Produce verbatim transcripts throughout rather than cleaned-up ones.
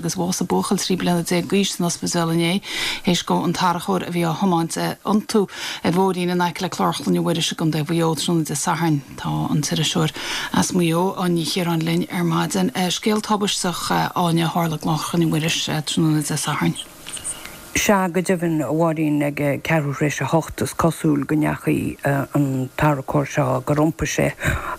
agus bhásaigh buachaill trí bliana déag d'aois san ospidéal inné théis go an tarracóir a bhí á thiomáint iontú ar bhóithrín in aice le Clár Chlainne Mhuiris i gContae Mhaigh Eo tráthnóna Dé Sathairn tá an t-iriseoir as Maigh Eo Áine Ní Chiaráin linn ar maidin. Scéal tubaisteach Áine a tharla i gClár Chlainne Mhuiris tráthnóna Dé Sathairn. Sea go deimhin a Mháirín ag ceathrú tar éis a hocht is cosúil go ndeachaigh an tarracóir seo gur iompaigh sé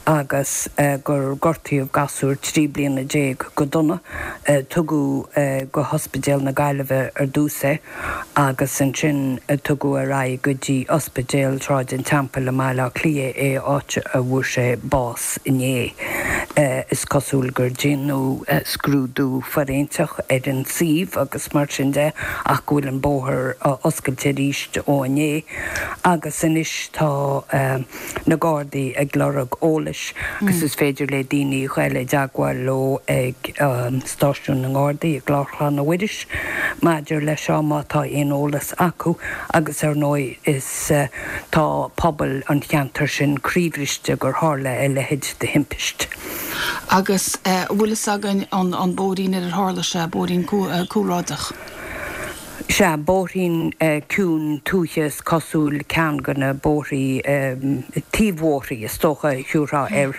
agus gur gortaíodh gasúr trí bliana déag go dona. Tugadh go hOspidéal na Gaillimhe ar dtús é agus ansin tugadh ar aghaidh go dtí Ospidéal Shráid an Teampaill i mBaile Átha Cliath é áit a bhfuair sé bás inné. Is cosúil gur déanadh scrúdú fóiréinseach ar an suíomh agus mar sin de ach go bhfuil an bóthar oscailte arís ó inné agus anois tá na Gardaí ag lorg eolais agus is féidir le daoine dul i dteagmháil leo ag stáisiún na nGardaí i gClár Chlainne Mhuiris maidir leis seo má tá aon eolas acu agus ar ndóigh is tá pobal an cheantair sin croíbhriste gur tharla a leithéid de thimpist. Agus bhfuil fhios againn an an bóithrín ar ar tharla sé bóithrín cúlráideach. Sea, bóithrín ciúin tuaithe is cosúil ceann de na bóithrí taobh-bhóithrí is dócha a thiúrfá air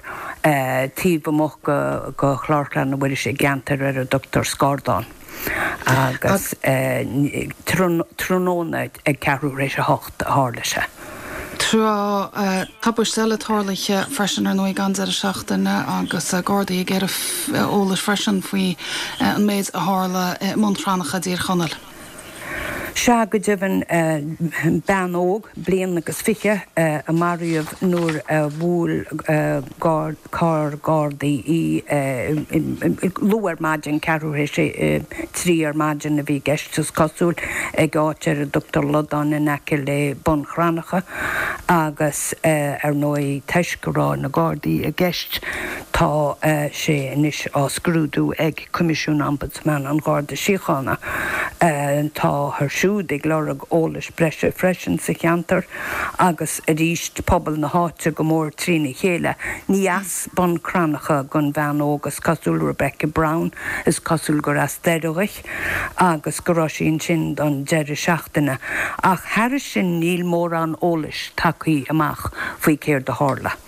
taobh amuigh de Chlár Chlainne Mhuiris i gceantar ar a dtugtar Scárdán agus tráthnóna ag ceathrú tar éis a hocht a tharla sé. Tá tubaiste eile tarlaithe freisin ar ndóigh an deireadh seachtaine agus Gardaí ag iarraidh eolais freisin faoi an méid a tharla i mBun Cranncha i dTír Chonaill. Sea go deimhin bean óg bliain agus fiche a maraíodh nuair a bhuail carr Gardaí í luath ar maidin, ceathrú théis a trí ar maidin a bhí i gceist is cosúil, ag áit ar a dtugtar Lodán in aice le Bun Cranncha agus ar ndóigh toisc go raibh na Gardaí i gceist tá sé anois á scrúdú ag Coimisiún Ombudsman an Gharda Síochána. Táthar siúd ag lorg eolais breise freisin sa cheantar agus arís pobal na háite go mór trína chéile. Ní as Bun Cranncha don bhean óg is cosúil Rebecca Brown, is cosúil gur as Doire di agus go raibh sí ansin don deireadh seachtaine. Ach thairis sin níl mórán eolais tagtha amach faoi céard a tharla.